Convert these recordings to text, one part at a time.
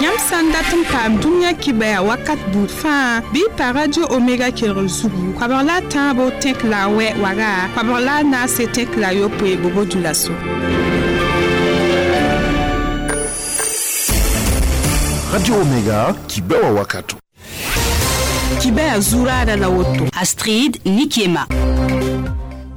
Yãmb sã n dat n paam dũniyã kibɛa wakat buud fãa bɩ y pa Radio Omega kelgr zugu koabg la a tãabo tẽk la a wɛ waga koabg la a naase tẽk la a yopoe Bobo-Dioulasso. Radio Omega kibɛwa wakato. Kibɛa zuraada la woto. Astrid Nikiema.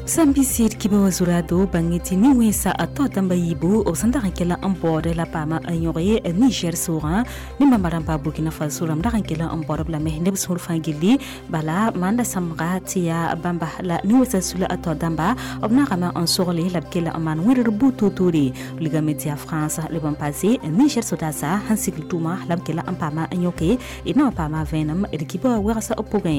Sãn bisd kibã wã zuraado bãng tɩ nin-wẽnsa a tao dãmba yiibu b sẽn dag n kell n baood la paama n yõge Niger soogã ne bãmba rãmba Burkina Faso rãmb dag n kell n baood b lame neb sũur fãa gilli bala maanda sãmbga tɩ yaa bãmba la nin-wẽnsã sula a tao dãmba b naagame n sogle la b kell n maan wẽdr buud toor-toore wilgame tɩ yaa France leb n paase Niger sodaasa sẽn sigl tʋʋma la b kell n paama n yõke d na wa paama vẽenem d kibã wã wegsa b pʋgẽ.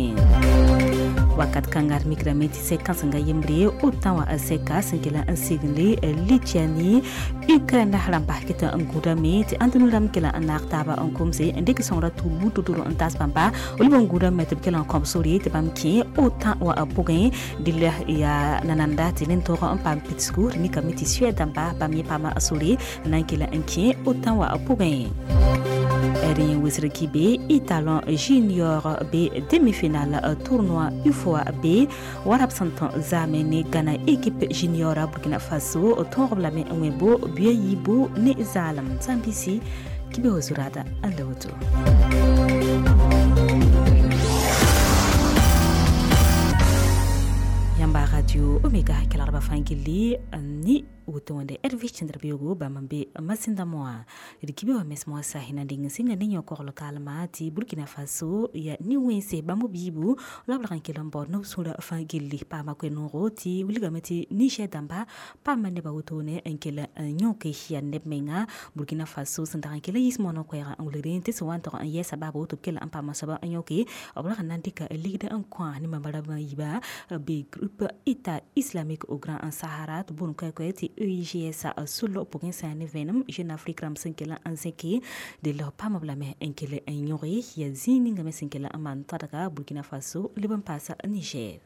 Wakat kãnga d mikrame tɩ sɛk kãsenga yembre o tã wã sɛka sẽn kell n sigle Lituanie Ukraine rãmba ket n gũudame tɩ ãndũnã rãmb kell n naag taaba n komse n dɩk sõngrã tʋ buud tʋtʋr n taas bãmba leb n gũudame tɩ b kell n kõb sore tɩ bãmb kẽ o tã wã pʋgẽ dɩl yaa nananda tɩ nin-toog n paam pidsgu d mikame tɩ Suède dãmba bãmb yẽ paama sore n na n kell n kẽ o tã wã pʋgẽ. Rẽ wesr kibe Italon Junior B demi-finale tournoi UFOA B warab sẽn tõ zaame ne Ghana équipe junior Burkina Faso tõog b lame n wẽ bo buya yiibu ne zaalem sã n bisi kibe wa zuraada n la woto. Yãmba Radio Omega kelgdbã fãa gilli ni woto wẽnde Hervé Chandra-Biogo bãmb n be masẽndã moã d kibe wã mes moasã na deng n sɩnga ne yõ-kogl kalma tɩ Burkina Faso ya nin-wẽnse bãmb b yiibu la b rag n kell n baood neb sũurã fãa gilli paama koe-noogo tɩ wilgame tɩ Niger dãmba paama nebã wotone n kell n yõke yaa neb menga Burkina Faso sẽn dag n kell n yiis moonã koɛɛgã n wilgd tɩ sẽn wa n tog n yɛɛsa baabo tɩ b kell n paama soaba n yõke b rag n na n dɩka ligd n kõ ne bãmba rãmbã yiibã be groupe État islamique au Grand Sahara tɩ boond koɛ-koɛ tɩ EIGS sʋll pʋgẽ sã ne vẽenem Jeune Afrique rãmb sẽn kell n zẽke dɩl paam b lame n kell n yõge yaa zĩig ninga me sẽn kell n maan tadga Burkina Faso leb n paasa Niger.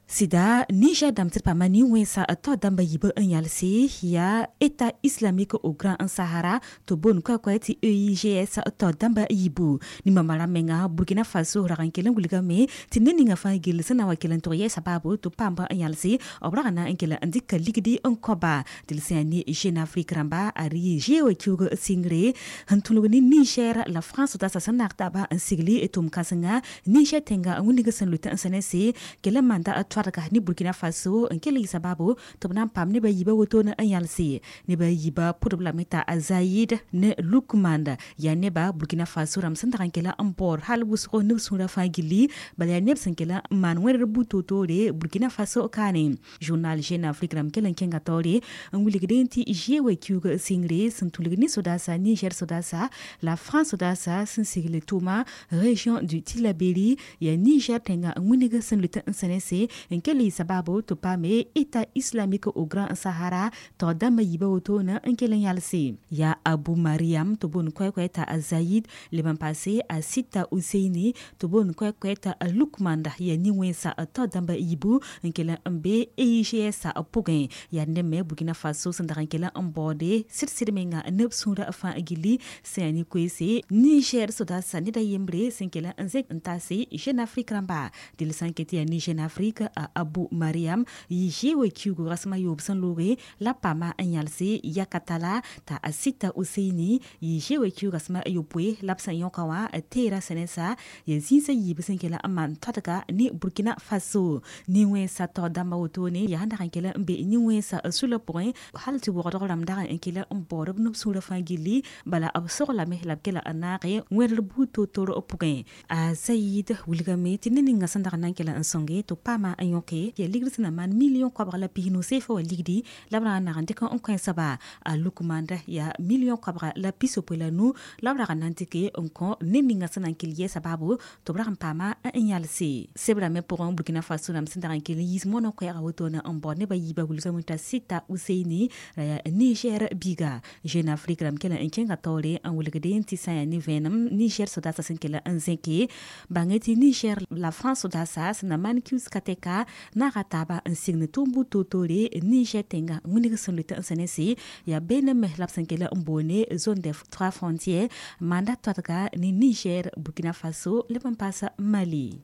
Sɩda Niger dãmb tɩ d paama nin-wẽnsa tao dãmba yiibã n yalse yaa État islamique au Grand Sahara tɩ boond koɛ-koɛ tɩ EIGS tao dãmba yiibu nin-bãmba rãmb menga Burkina Faso rag n kell n wilgame tɩ ned ninga fãa gill sẽn na n wa kell n tog yɛɛsa baabo tɩ paamba n yalse b rag n na n kell n dɩka ligdi n kõba dɩl sã yaa ne Jeune Afrique rãmba a rɩ zeoog kiuug sɩngre sẽn tũlg ne Niger la France tasa sẽn naag taaba n sigli tʋm-kãsenga Niger tẽnga n wilg sẽn lʋɩt n sẽnese kell n maanda toadga ne Burkina Faso n kell yɩ sababu tɩ b na n paam nebã yiibã wotone n yalse nebã yiibã pʋdb lame t'a Zayid ne Lukmand yaa neba Burkina Faso rãmb sẽn dag n kell n baood hal wʋsgo neb sũurã fãa gilli bala yaa neb sẽn kell n maan wẽdr buud toor-toore Burkina Faso kaane journal Jeune Afrique rãmb kell n kẽnga taoore n wilgdẽ tɩ zeoog kiuug sɩngre sẽn tũlg ne sodaasa Niger sodaasa la France sodaasa sẽn sigl tʋʋma région du Tillabéri yaa Niger tẽnga n wilg sẽn lʋɩt n sẽnese n kell yɩ sababu tɩ paame État islamique au Grand Sahara tao dãmbã yiibã wotone n kell n yalse yaa Abu Mariam tɩ boond koɛ-koɛ t'a Zayid leb n paase a Sita Useini tɩ boond koɛ-koɛ t'a Lukmanda yaa nin-wẽnsa tao dãmbã yiibu n kell n be EIGS pʋgẽ yaa neb me Burkina Faso sẽn dag n kell n baoode sɩd-sɩd menga neb sũurã fãa gilli sẽn yaa ne-koeese Niger sodaasa ned a yembre sẽn kell n zẽk n taase Jeune Afrique rãmba dɩl sã n ket yaa ne Jeune Afrique a Abu Mariam yɩ zeoog kiuug rasem a yoob sẽn looge la paama n yalse yakatala t'a a Sita Useini yɩ zeoog kiuug rasem a yopoe la b sẽn yõka wã teera sẽnesa yaa zĩisã yiib sẽn kell n maan toadga ne Burkina Faso nin-wẽnsa tao dãmba wotone yaa sẽn dag n kell n be nin-wẽnsa sʋlã pʋgẽ hal tɩ wogdg rãmb dag n kell n baood b neb sũurã fãa gilli bala b soglame la b kell n naage wẽdr buud toor-toor pʋgẽ a Zayid wilgame tɩ ned ninga sẽn dag n na n kell n sõnge tɩ paama n yõke yaa ligd sẽn na maan million koabg la pisnu seefa wa ligdi la b rag n nag n dɩk n kõ soaba a Lukmanda yaa million koabga la pisopoe la nu la b rag n na n dɩke n kõ ned ninga sẽn na n kell yɛɛsa baabo tɩ b rag n paama n yalse sebrã me pʋgẽ Burkina Faso rãmb sẽn dag n kell n yiis moonã koɛɛgã wotone n baood nebã yiibã wilgame t'a Sita Useini la yaa Niger biiga Jeune Afrique rãmb kell n kẽnga taoore n wilgdẽ tɩ sã n yaa ne vẽenem Niger sodaasã sẽn kell n zẽke bãngẽ tɩ Niger la France sodaasa sẽn na maan kiuus ka tɛka sɛka naga taaba n sign tʋʋm bu-toor-toore Niger tẽngã wilg sẽn lʋɩt n sẽn ne sɩ yaa beene me la b sẽn kell n boone zone des trois frontières manda toadga ne Niger, Burkina Faso leb n paas Mali.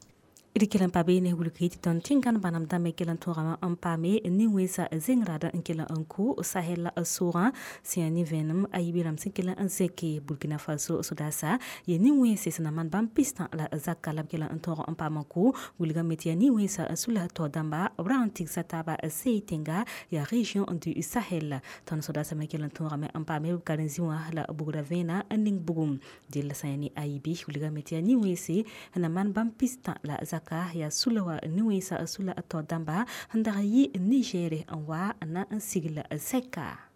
D kell n pa beene wilg tɩ tõnd tẽngãn bãnemd dãmbe kell n tõogame n paame nin-wẽnsã zẽng-rad n kell n kʋ Sahel soogã sẽn yaa nin-vẽenem a yiib rãmb sẽn kell n zẽke Burkina Faso sodaasa yaa nin-wẽnse sẽn na maan bãmb pistã la zaka la b kell n tõog n paam n kʋ wilgame tɩ yaa nin-wẽnsã sula tao dãmba b rag n tigsa taaba sey tẽnga yaa région du Sahel. Tõnd sodaasã me kell n tõogame n paame b karen-zĩ wã la bugra vẽenã n ning bugum dell sã yaa ne a yiibi wilgame tɩ yaa nin-wẽnse sẽn na maan bãmb pistã la zaka yaa sula wa nin-wẽnsã sula tao dãmba sẽn dag n yɩ Niger n wa na n sigl sɛka.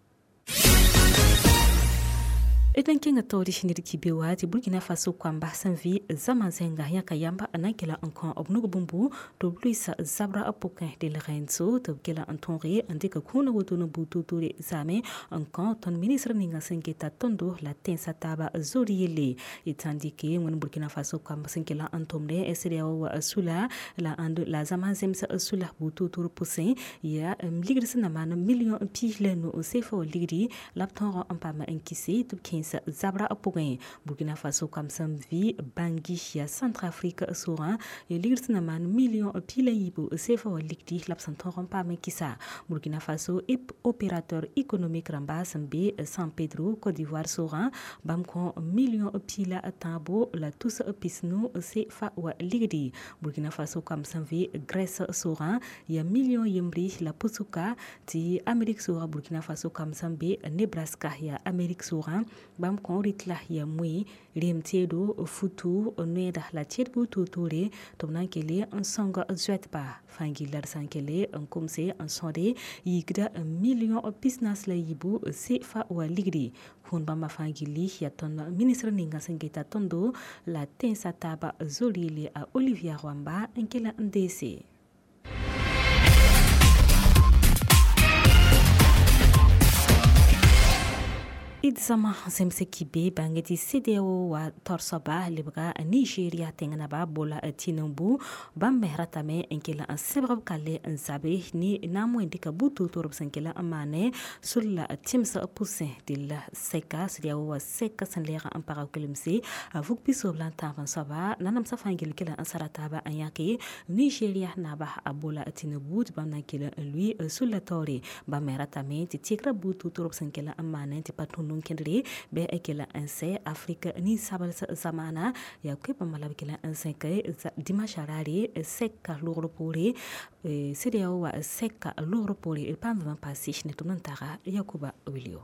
D n kẽnga taoore ned kibe wa tɩ Burkina Faso koamba sẽn vɩ zãma zẽnga yãka yamba n na n kela n kõ b nug bũmbu tɩ b lʋɩɩs zabra pʋgẽ delgẽntso tɩ b kela n tõoge n dɩk kũuna woto ne buud toor-toore zaame n kõ tõnd ministr ninga sẽn geta tõndo la tẽnsã taaba zor yelle d sã n dɩke wẽnd Burkina Faso koamb sẽn kela n tʋmde CEDEAO wa sula la zãma zems sula buud toor-toor pʋsẽ yaa ligd sẽn na maan million 15 CFA wa ligdi la b tõog n paam n kɩse tɩ b kẽes zabra pʋgẽ. Burkina Faso koam sẽn vɩ Bangui yaa Centrafrique soogã yaa ligd sẽn na maan million 13 CFA wa ligdi la b sẽn tõog n paam n kɩsa. Burkina Faso opérateur économique rãmba sẽn be San Pedro Côte d'Ivoire soogã bãmb kõ million 13 la tus pisnu CFA wa ligdi. Burkina Faso koam sẽn vɩ Grèce soogã yaa million yembre la pusuka tɩ Amérique soogã Burkina Faso koam sẽn be Nebraska yaa Amérique soogã bãmb kõ rɩtla yaa moe rem teedo futu noeeda la tẽed buud toor-toore tɩ b na n kele n sõng zoɛtba fãa gilla d sã n kele n komse n sõde yikda million 43 CFA wa ligdi. Kũun bãmba fãa gilli yaa tõnd ministr ninga sẽn geta tõndo la tẽnsã taaba zor yelle a Olivia Rwamba n kell n deese. D zãma zemse kibe bãnge tɩ CEDEAO wa taoor soaba lebga Nigeria tẽng naba Bola Tinubu bãmb me ratame n kell n sẽbg b kalle n zabe ne naam wẽn dɩka buud toor-toor b sẽn kell n maane sor la tẽms pʋsẽ della sɛka CEDEAO wa sɛka sẽn lɛɛg n pag kelemse a vug pisoobl la n tãab n soaba nanamsã fãa gell kell n sara taaba n yãke Nigeria naba a Bola Tinubu tɩ bãmb na n kell n lʋɩ sor la taoore. Bãmb me ratame tɩ tɩgra buud toor-toor b sẽn kell n maane tɩ pa tũud n kẽndre bɩ a kell n sɛ Afrika nin-sabls zamaana yaa koe bãmba la b kell n zẽk dimanche raare sɛka loogr poore CEDEAO wa sɛka loogr poore d paam vẽm paase ne tʋm n taga Yakuba Wilio.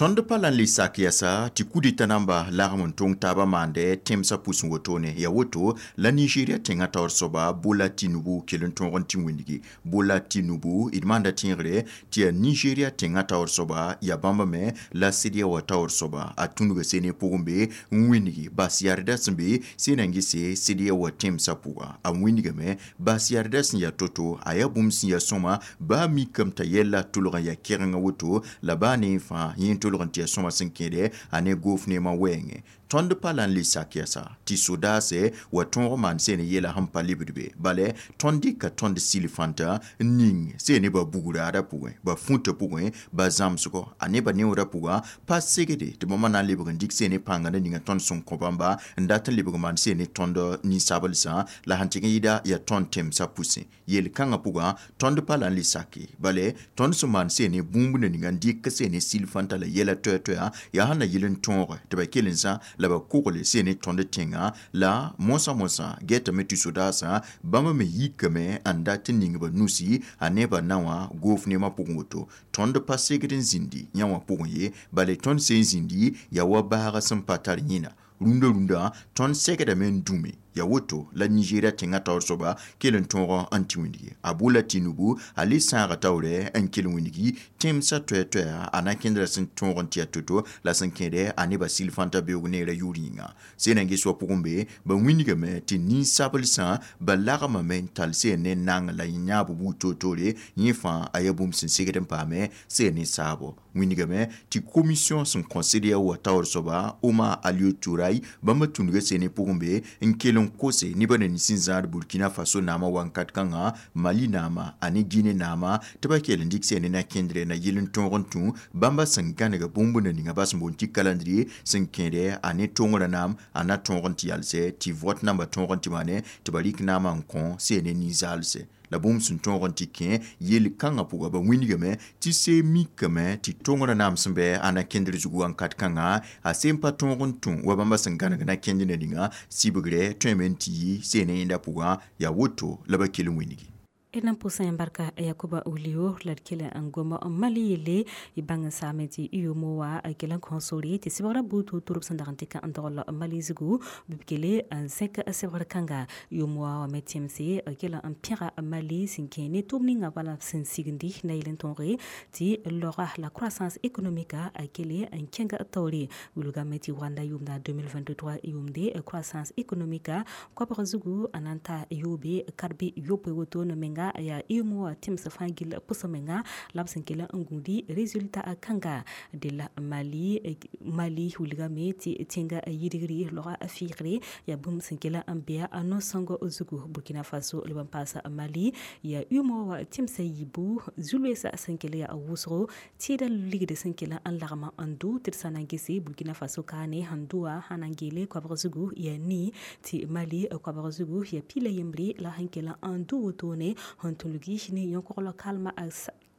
Tõnd pa la n le sak yɛsa tɩ kudita namba lagm n tõng taabã maande tẽmsã pʋsẽ wotone ya woto la Nigeria tẽngã taoor soaba Bola Tinubu kell n tõog n tɩ wĩndgi. Bola Tinubu d maanda tẽegre tɩ yaa Nigeria tẽngã taoor soaba yaa bãmb me la CEDEAO wã taoor soaba a tũnuga sene pʋgẽ be n wĩndgi bas yardã sẽn be sẽn na n gese CEDEAO wã tẽmsã pʋga a wĩndgame bas yardã sẽn yaa to-to a yaa bũmb sẽn yaa sõma baa mikame t'a yɛla tʋlg n yaa kɛgengã woto la baa ne fãa yẽ tʋlg n tɩ yaa sõma sẽn kẽede a ne goof neemã wɛɛngẽ. Tõnd pa la n le sak yɛsa tɩ sodaase wa tõog maan sẽn yeela sẽn pa lebd be bala tõnd dɩka tõnd sil-fãnta n ning sẽn ne ba bugraadã pʋgẽ ba fũtã pʋgẽ ba zãmsgɔ a ne ba neoodã pʋgã pa segde tɩ bãmba na n lebg n dɩk sẽn ne pãnga na ninga tõnd sẽn kõ bãmba n dat n lebg maan sẽn ne tõnd nin-sablsã la sẽn tɩg n yɩɩda yaa tõnd tẽmsã pʋsẽ yel-kãngã pʋgã tõnd pa la n le sake bala tõnd sẽn maan sẽn ne bũmb na ninga n dɩk sẽn ne sil-fãnta la yɛla toɛ-toɛa yaa sẽn na yɩl n tõoge tɩ ba kell n zã la ba kogle sẽn ne tõnd tẽngã la moasã gɛtame tɩ sodaasã bãmb me yikame n dat n ning ba nusi a ne ba na wã goof neemã pʋgẽ woto tõnd pa segd n zĩndi yã wã pʋgẽ ye bala tõnd sẽn zĩndi yaa wa baagã sẽn pa tar yẽna rũndã rũndã tõnd segdame n dũme ya woto la Nigeria tẽngã taoor soaba kell n tõog n tɩ wĩndgi a Bola Tinubu a le sãaga taoorɛ n kell wĩndgi tẽmsã toɛ-toɛa a na kẽndra sẽn tõog n tɩ yaa to-to la sẽn kẽede a nebã sil-fãntã beoog neerã yʋʋr yĩnga sẽn na n ges wa pʋgẽ be ba wĩndgame tɩ nin-sablsã ba lagmame n tall sẽn ne nang la yãab buud toor-toore yẽ fãa a yaa bũmb sẽn segd n paame sẽn ne saabo wĩndgame tɩ commission sẽn kõ CEDEAO wã taoor soaba Omar Alieu Touray bãmba tũnuga sẽn ne pʋgẽ be n kell n kose nebã na nins n zãad Burkina Faso naamã wankat kãngã, Mali naamã a ne Guinée naamã tɩ ba kell n dɩk sẽn ne na-kẽndrɛ na yɩl n tõog n tũ bãmba sẽn gãneg bũmb na ninga bas n boond tɩ calendrier sẽn kẽede a ne tõngrã naam a na tõog n tɩ yalsɛ tɩ vote namba tõog n tɩ maane tɩ ba rɩk naamã n kõ sẽn ne nin-zaalsɛ la bũmb sẽn tõog n tɩ kẽ yel-kãngã pʋga ba wĩnigame tɩ see mikame tɩ tõngrã naam sẽn bɩ a na-kẽndr zugu wãnkat kãngã a seen pa tõog n tũ wa bãmba sẽn gãneg na-kẽnd na ninga sɩbgrɛ tõeme n tɩ yi seen ne yẽnda pʋgã yaa woto la ba kell n wĩnigi. D na n pʋsã yã barka Yakuba Wulio la d kell n gom n Mali yelle y bãng n saame tɩ UEMOA kell n kõ sore tɩ sɩbgrã buud tuur-tuurb sẽn dag n tɩka n dogl Mali zugu bɩ b kele n zẽk sɩbgr kãnga. UEMOA wã me tẽmse kell n pẽga Mali sẽn kẽ ne tʋʋm ninga bala sẽn signdi na yel n tõoge tɩ laoga la croissance économique a kele n kẽng taoore. Wilgame tɩ wanda yʋʋmda 2023 yʋʋmde croissance économique koabg zugu a na n ta yoobe kadbe yopoe woto ne menga ya UEMOA tẽms fãa gill pʋsg menga la b sẽn kell n gũudi résultat kãnga de la Mali. Mali wilgame tɩ tẽnga yidgri loga fɩɩgre yaa bũmb sẽn kell n bea a no-sõng zugu. Burkina Faso leb n paasa Mali yaa UEMOA tẽmsã yiibu zu-loeesã sẽn kell yaa wʋsgo tẽedã ligd sẽn kell n lagma n dʋ tɩ d sã na n gese Burkina Faso kaane sẽn dʋa sã na n geele koabg zugu yaa nii tɩ Mali koabg zugu yaa pila yembre la sẽn kell n dʋ wotone sẽn tũlgi ne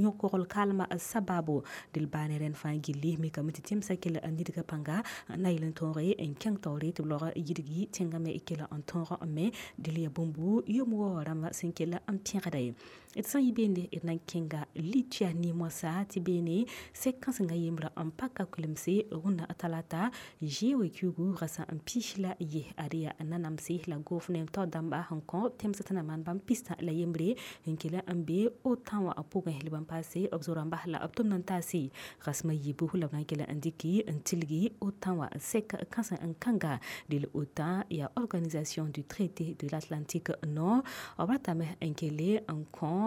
yõkogl kalma sababo dɩl baane rẽnd fãa gilli mikame tɩ tẽmsã kell n nidga pãnga na yel n tõoge n kẽng taoore tɩ b laoog yidgi tẽngã me kell n tõog me dɩl yaa bũmbu UEMOA rãmba sẽn kell n pẽgda ye. D sã n yɩ beende d na n kẽnga Lituya ne-moasã tɩ beene sɛk kãsenga yembrã n paka kulemse rũndã talata zeoe kiugu rasã n pis la ye ad yaa nanamse la gofnem tao dãmba sẽn kõ tẽmsã tɩ na maan bãmb pistã la yembre n kell n be OTAN wã pʋgẽ leb n paase b zo-rãmba la b tʋmd n taase rasmã yiibu la b na n kell n dɩki n tilgi OTAN wã sɛk kãseng n kãnga dɩl OTAN yaa Organisation du traité de l'Atlantique Nord b ratame n kele n kõ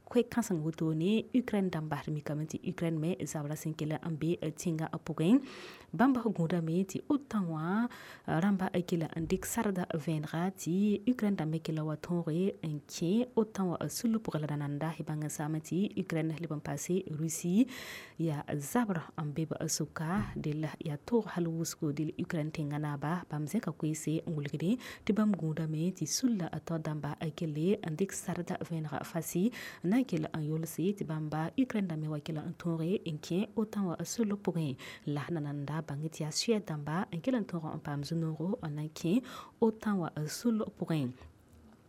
koe-kãseng wotone Ukraine dãmba d mikame tɩ Ukraine me zabra sẽn kell n be tẽngã pʋgẽ bãmb gũudame tɩ OTAN wã rãmba kell n dɩk sarda vẽenega tɩ Ukraine dãmb me kell wa tõoge n kẽ OTAN wã sul pʋgẽ la nananda y bãng n saame tɩ Ukraine leb n paase Russie yaa zabr n be b sʋka dɩl yaa toog hal wʋsgo dɩl Ukraine tẽngã naaba bãmb zẽka koeese n wilgde tɩ bãmb gũudame tɩ sulla tao dãmba kelle n dɩk sarda vẽenega fasi n na n kell n yolse tɩ bãmba Ukraine dãmb me wa kell n tõoge n kẽ OTAN wã sul pʋgẽ la nananda bãng tɩ yaa Suède dãmba n kell n tõog n paam zu-noogo n na n kẽ OTAN wã sul pʋgẽ.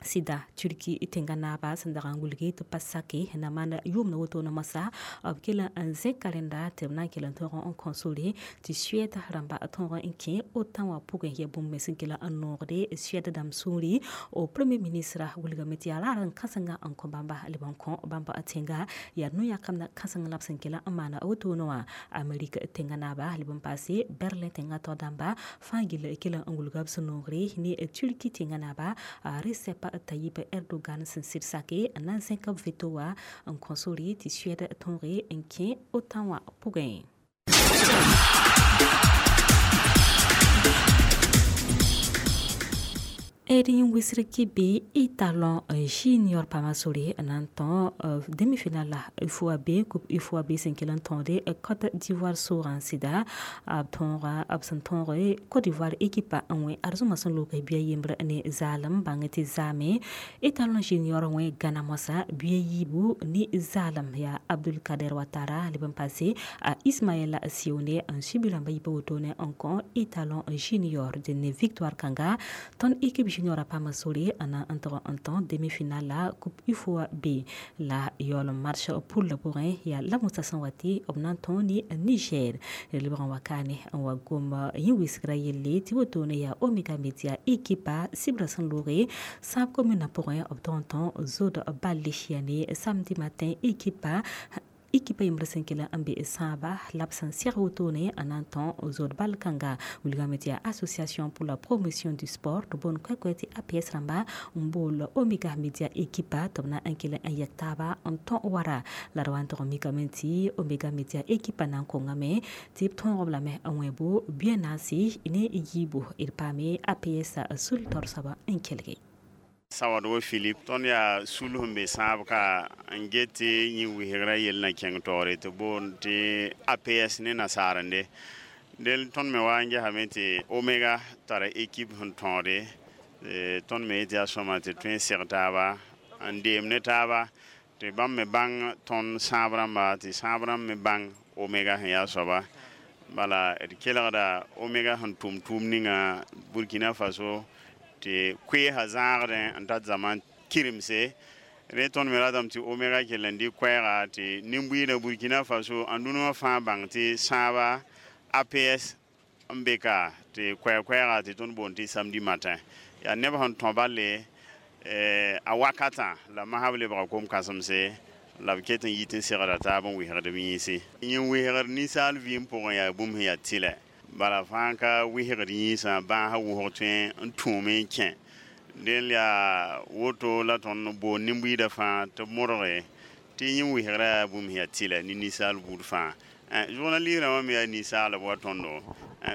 Sɩda Turki tẽngã naaba sẽn dag n wilgi tɩ pa sake na maan yʋʋmd wotone moasã b kell n zẽka rẽnda tɩ b na n kell n tõog n kõ sore tɩ Suède rãmba tõog n kẽ OTAN wã pʋgẽ yaa bũmb me sẽn kell n noogde Suède dãmb sũuri. O premier ministre wilgame tɩ yaa raar n kãsenga n kõ bãmba leb n kõ bãmb tẽnga yaa no-yãkamd kãseng la b sẽn kell n maana wotone wã. Amerik tẽngã naaba leb n paase Berlin tẽngã tao dãmba fãa gill kell n wilga b sũ-noogre ne Turki tẽngã naaba Recep Tayyip Erdogan sẽn sɩd sake n na n zẽk b veto wã n kõ sore tɩ Suède tõoge n kẽ OTAN wã pʋgẽ. D yẽ wisg kɩ étalon junior pama sore n na n tõ demi-finale la UFOA B coupe UFOA B sẽn kell n tõode Côte d'Ivoire soogã sɩda b tõoga b sẽn tõoge Côte d'Ivoire équipe n wẽ arzũmã sẽn loog bia yembr ne zaalem bãng tɩ zaame étalon junior wẽ gãna moasã bia yiibu ne zaalem yaa Abdul Kader Watara leb n paase a Ismaël Sione n subi rãmba yipa wotone n kõ étalon junior dẽn ne victoire kãnga tõnd équipe junior a paama sore n na n tog n tõ demi-finale la coupe UFOA B la yaool n march poule pʋgẽ yaa lamʋsã sẽn wa tɩ b na n tõo ne Niger lebg n wa kaane n wa gom yẽ wisgrã yelle tɩ wotone yaa Omega Media équipe sɩbrã sẽn looge sãab commune pʋgẽ b tog n tõ zod balle yaa ne samedi matin équipe Ekipa yembr sẽn kell n be sãaba la b sẽn seg wotone n na n tõ zood bal kãnga. Wilgame tɩ yaa Association pour la promotion du sport tɩ boond koɛ-koɛ tɩ APS rãmba n bool Omega Media ekipa tɩ b na n kell n yɛk taaba n tõ wara. La d wa n tog n mikame tɩ Omega Media ekipa na n kongame tɩ b tõog b lame n wẽ bo bia naase ne yiibu d paame APS sul taoor soaba n kelge. Sawadgo Philip, tõnd yaa sul sẽn be sãab ka n get tɩ yẽ wɩsgrã yell na kẽng taoore tɩ boond tɩ APS ne nasaarende. Del tõnd me wa n gesame tɩ Omega tara ekip sẽn tõode. Tõnd me yetɩ yaa sõma tɩ tõe n seg taaba n deem ne taaba tɩ bãmb me bãng tõnd sãab rãmba, tɩ sãab rãmb me bãng Omega sẽn yaa soaba. Bala d kelgda Omega sẽn tʋm tʋʋm ninga Burkina Faso tɩ koeesã zãagdẽ n tat zãma kiremse. Rẽ tõnd me ratame tɩ Omega kell n dɩ koɛɛga tɩ nin-buiidã Burkina Faso ãndũnã wã fãa bãng tɩ sãaba APS n be ka tɩ koɛɛ-koɛɛga tɩ tõnd boond tɩ samedi matin. Yaa neb sẽn tõ balle a wakatã la masb lebga kom-kãsemse la b ket n yit n segda taab n wɩsgd b yĩnse. Yẽ wɩsgd ninsaal vɩɩm pʋgẽ yaa bũmb sẽn yaa tɩlɛ. Bala fãa ka wɩsgd yĩnsã bãasã wʋsg tõe n tũume n kẽ. Del yaa woto la tõnd boond nin-buiidã fãa tɩ b modge tɩ yẽ wɩsgrã yaa bũmb sẽn yaa tɩlɛ ne ninsaal buud fãa. Journaliste rãmbã me yaa ninsaalb wa tõndo.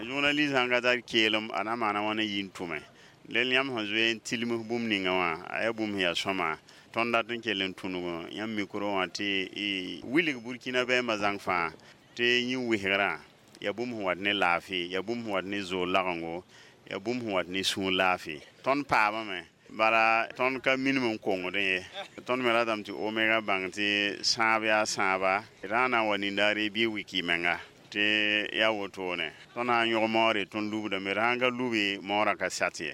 Journaliste sãn ka tar keelem a na maana wãna yi n tʋme. Del yãmb sẽn zoe n tilms bũmb ninga wã a yaa bũmb sẽn yaa sõma. Tõnd dat n kell n tũnug yãmb mikro wã tɩ wilg Burkina bɛɛmbã zãng fãa tɩ yẽ wɩsgrã yaa bũmb sẽn wat ne laafɩ, yaa bũmb sẽn wat ne zoor lagengo, yaa bũmb sẽn wat ne sũur laafɩ. Tõnd paamame bala tõnd ka minim n kongdẽ ye. Tõnd me ratame tɩ Omega bãng tɩ sãab yaa sãaba rã na n wa nindaare bɩ wiki menga tɩ yaa wotone. Tõnd sã n yõg maoore tõnd lubdame, d sãn ka lubi maoorã ka sat ye.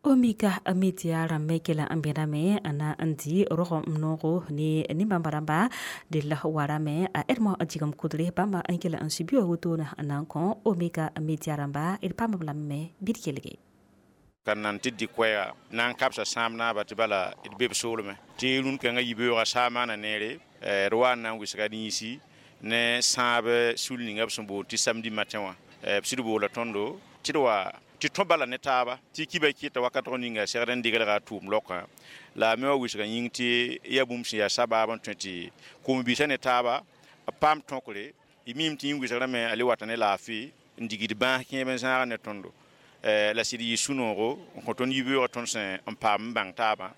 Omega Media rãmb kela n bẽdame na n dɩ rog n noogo ne nin-bãmba rãmba d la warame a Edmond Jigem Kʋdre bãmba n kela n sũ bi-wã wotone n na n kõ Omega Media rãmba d paam b lame bɩ d kelge. Ka nan tɩ dɩ koɛɛga na n kabsa sãam naaba tɩ bala d be b soolmẽ tɩ rũn-kãngã yibeoogã saa maana neere d wa n na n wɩsga d yĩnsi ne sãab sul ninga b sẽn boond tɩ samedi matin wã. B sɩd boola tõndo tɩ d wa tɩ tõ bala ne taaba tɩ kiba kɩta wakatg ninga segd n degelga a tʋʋm laokã la a me wa wɩsga yĩng tɩ yaa bũmb sẽn yaa sabaab n tõe tɩ kom-biisã ne taaba b paam tõkre y miime tɩ yĩng wɩsgrame a le wata ne laafɩ n digd bãas kẽeb n zãag ne tõndo. La sɩd yɩ sũ-noogo n kõ tõnd yibeoogã tõnd sẽn n paam n bãng taabã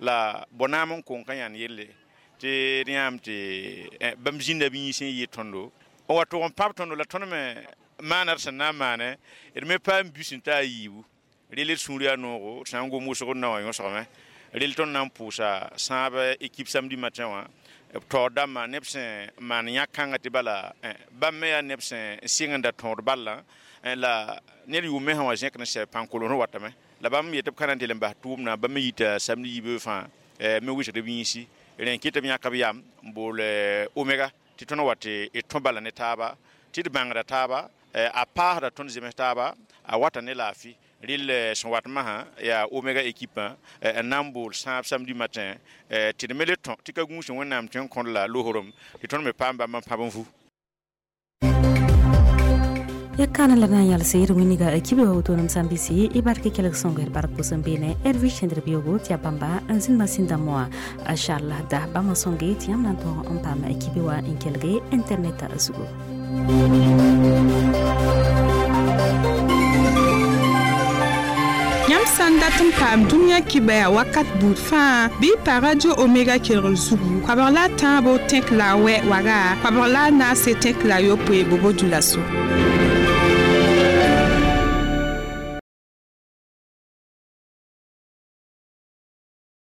la bõnaam n kong ka yãnd yelle tɩ d yãam tɩ bãmb zĩnda b yĩns n yɩ tõndo n wa tʋg n pãb tõndo la tõnd me maana d sẽn na n maane d me paam bus n ta a yiibu rel d sũur yaa noogo d sã n gom wʋsg d na wã yõsgame rel tõnd na n pʋʋsa sãab ekip samedi matin wã b taoor dãmbã neb sẽn maan yãk-kãngã tɩ bala bãmb me yaa neb sẽn sɩng n da tõod ballã la ned yʋʋm me sã wa zẽkd n sɛ pãn-kolos n watame la bãmb yetɩ b ka na n tɩ l n bas tʋʋmdã bãmb me yita samedi yibeoog fãa me wɩsgd b yĩnsi rẽ kɩ tɩ b yãk b yam n bool Omega tɩ tõnd wa tɩ d tõ bala ne taaba tɩ d bãngda taaba a paasda tõnd zems taaba a wata ne laafɩ rel sẽn wat masã yaa Omega ekipã n na n bool sãab samedi matin tɩ d me le tõ tɩ ka gũus Wẽnnaam tõe n kõd la loosrem tɩ tõnd me paam bãmb n pãb n vu. Ya kana la na yalse d wĩnniga kibe wa woto-nem sã n bɩse y bark kelg sõngo d bark pʋsẽ beene Hervi Cẽndr beoogo tɩ yaa bãmba n zĩnd masĩn dãmbã wã Charles da bãmb n sõnge tɩ yãmb na n tõog n paam kibe wã n kelge internet zugu. Yãmb sã n dat n paam dũniyã kibɛa wakat buud fãa bɩ y pa Radio Omega kelgr zugu koabg la a tãabo tẽk la a wɛ waga koabg la a naase tẽk la a yopoe bobo dulaso.